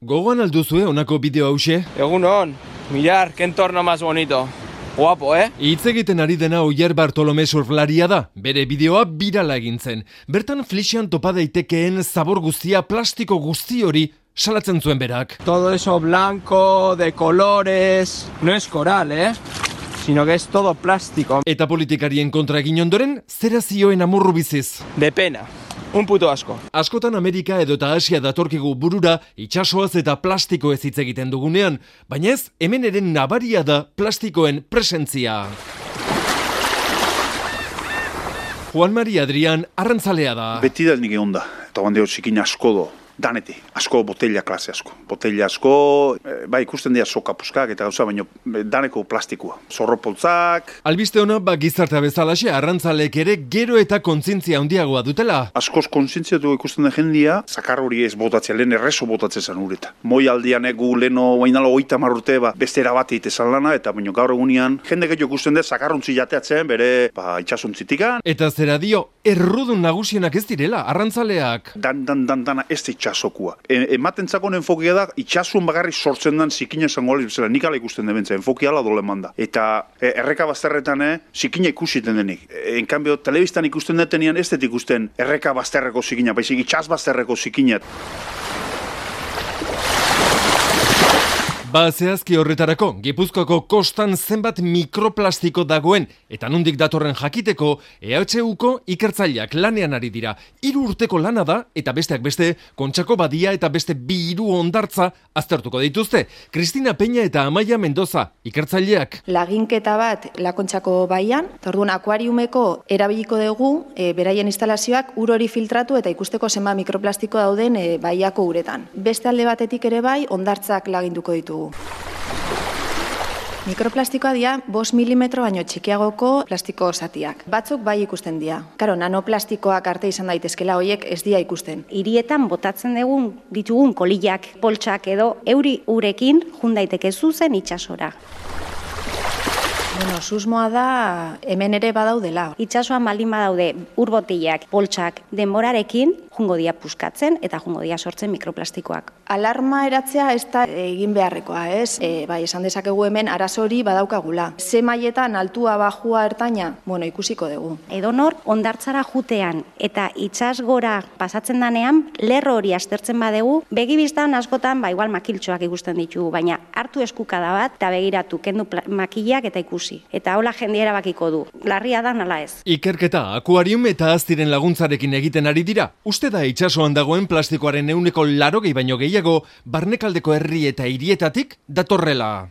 Gogoan alduzue honako bideo hause? Egunon, mirar, qué entorno más bonito. Guapo, Hitz egiten ari dena Oier Bartolome surflaria da. Bere bideoa birala egin zen. Bertan Flixian topa daitekeen zabor guztia, plastiko guzti hori salatzen zuen berak. Todo eso blanco, de colores... No es coral, sino que es todo plástico. Eta politikarien kontra egin ondoren, zera zioen amorru biziz. De pena. Un puto asko. Askotan Amerika edota Asia datorkigu burura itsasoaz eta plastikoez hitz egiten dugunean, baina ez hemen ere nabaria da plastikoen presentzia. Juan Maria Adrian arrantzalea da. Beti da nik egon da, eta bandeo txikin asko do. Daneti, asko botella klase asko. Botella asko, ikusten dira soka puskak eta gauza, baina daneko plastikoa. Zorropoltzak. Albiste hona, gizartea bezalaxe, arrantzalek ere gero eta kontzientzia handiagoa dutela. Askoz kontzientziatu ikusten da jendia, zakar hori ez botatzea, lehen errezo botatzen zen ureta. Moi aldian egu leheno bainalo 30 urte beste erabate itezan lana, eta baina gaur egunean, jende gehiago ikusten da zakarrontzi jateatzen, bere itxasontzitikan. Eta zera dio, errudun nagusienak ez direla, arrantzaleak. Dana ez da itxasokua. Ematen zakon enfokia da, itxasun bagarri sortzen dan zikina esangoalizela, nik ala ikusten debentza, enfokia ala dole manda. Eta erreka bazterretan, zikina ikusiten denik. En cambio, telebistan ikusten detenian ez dut ikusten erreka bazterreko zikina, baizik itxas bazterreko zikina. Zehazki horretarako, Gipuzkoako kostan zenbat mikroplastiko dagoen eta nondik datorren jakiteko EHUko ikertzaileak lanean ari dira. 3 urteko lana da eta besteak beste Kontxako badia eta beste 2 hondartza aztertuko dituzte. Cristina Peña eta Amaia Mendoza ikertzaileak. Laginketa bat Kontxako baian, orduan akuariumeko erabiliko dugu beraien instalazioak ur hori filtratu eta ikusteko zenbat mikroplastiko dauden baiako uretan. Beste alde batetik ere bai hondartzak laginduko ditugu. Mikroplastikoa dira 5 milimetro baino txikiagoko plastiko zatiak. Batzuk bai ikusten dira. Karo, nanoplastikoak arte izan daitezkela horiek ez dira ikusten. Hirietan botatzen ditugun kolillak, poltsak edo euri urekin jun daiteke zuzen itsasora. Susmoa da hemen ere badaudela. Itsasoan baldin badaude urbotillak, poltsak denborarekin jungo dia puskatzen eta jungo dia sortzen mikroplastikoak. Alarma eratzea ez da egin beharrekoa, ez? Esan dezakegu hemen arazo hori badaukagula. Ze mailetan altua, bajua, ertaina, ikusiko dugu. Edonor hondartzara jutean eta itsas gora pasatzen danean, lerro hori aztertzen badegu, begibistan askotan igual makiltxoak ikusten ditugu, baina hartu eskukada bat eta begiratu kendu makilak eta ikusi. Eta hola jendea erabakiko du. Larria da nala ez. Ikerketa akuarium eta aztiren laguntzarekin egiten ari dira. Uste da itsasoan dagoen plastikoaren 80% baino gehiago barnekaldeko herri eta hirietatik datorrela.